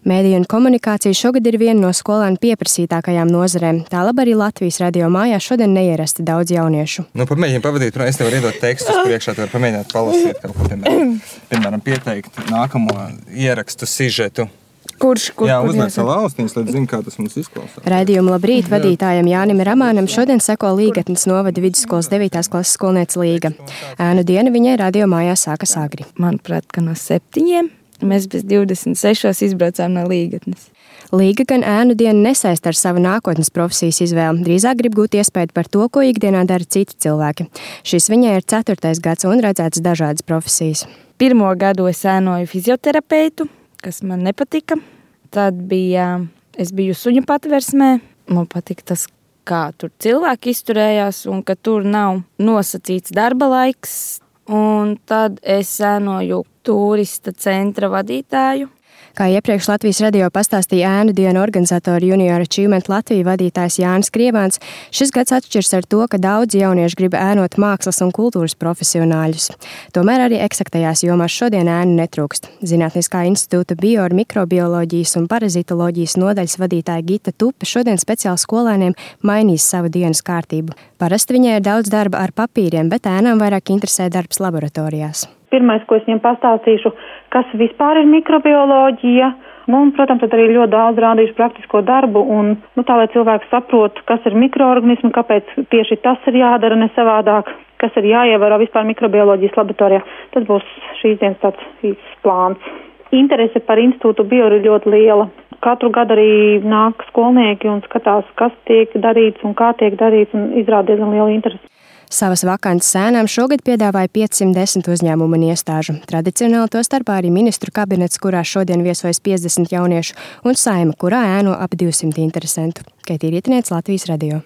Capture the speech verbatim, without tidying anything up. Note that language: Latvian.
Mēdiju un komunikācija šogad ir viena no skolēnu pieprasītākajām nozarēm. Tālāk arī Latvijas radio mājās šodien neierasti daudz jauniešu. Nu, pamēģini pavadīt, es tev varu iedot tekstus priekšā, tu vari pamēģināt palasīt kaut ko, piemēram, piemēram pieteikt nākamo ierakstu sižetu. Kurš, kur, Jā, kur uzliek savu austiņas, lai zinu, kā tas mums izklausās. Raidījuma Labrīt vadītājam Jānim Ramānam šodien seko Līgatnes novada vidusskolas devītās klases skolniece Līga. Ēnu diena viņai radio mājās sākas agri. Manuprāt, ka no septiņiem mēs bez divdesmit sešos izbraucām no Līgatnes. Līga gan ēnu dienu nesaist ar savu nākotnes profesijas izvēli, drīzāk grib gūt iespēju par to, ko ikdienā dara citi cilvēki. Šis viņai ir ceturtais gads un redzēts dažādas profesijas. Pirmo gadu es ēnoju fizioterapeitu, kas man nepatika. Tad bija, es biju suņu patversmē. Man patika tas, kā tur cilvēki izturējās un ka tur nav nosacīts darba laiks. Un tad es ēnoju turista centra vadītāju. Kā iepriekš Latvijas radio pastāstīja ēnu dienu organizatori Junior Achievement Latvija vadītājs Jānis Krievāns, šis gads atšķirs ar to, ka daudzi jaunieši grib ēnot mākslas un kultūras profesionāļus. Tomēr arī eksaktajās jomās šodien ēnu netrūkst. Zinātniskā institūta bio- un mikrobioloģijas un parazitoloģijas nodaļas vadītāja Gita Tupe šodien speciāli skolēniem mainīs savu dienas kārtību. Parasti viņai ir daudz darba ar papīriem, bet ēnām vairāk interesē darbs laboratorijās. Pirmais, ko es viņiem pastāstīšu, kas vispār ir mikrobioloģija, un, protams, tad arī ļoti daudz rādīšu praktisko darbu, un, nu, tā, lai cilvēks saprotu, kas ir mikroorganismi, kāpēc tieši tas ir jādara ne savādāk, kas ir jāievēro vispār mikrobioloģijas laboratorijā. Tas būs šīs dienas tāds īsts plāns. Interese par institūtu bio ir ļoti liela. Katru gadu arī nāk skolnieki un skatās, kas tiek darīts un kā tiek darīts, un izrāda diezgan liela interese. Savas vakances ēnām šogad piedāvāja piecsimt desmit uzņēmumu un iestāžu. Tradicionāli to starpā arī ministru kabinets, kurā šodien viesojas piecdesmit jauniešu, un Saeima, kurā ēno ap divsimt interesentu. Kaitī Rietiniece, Latvijas radio.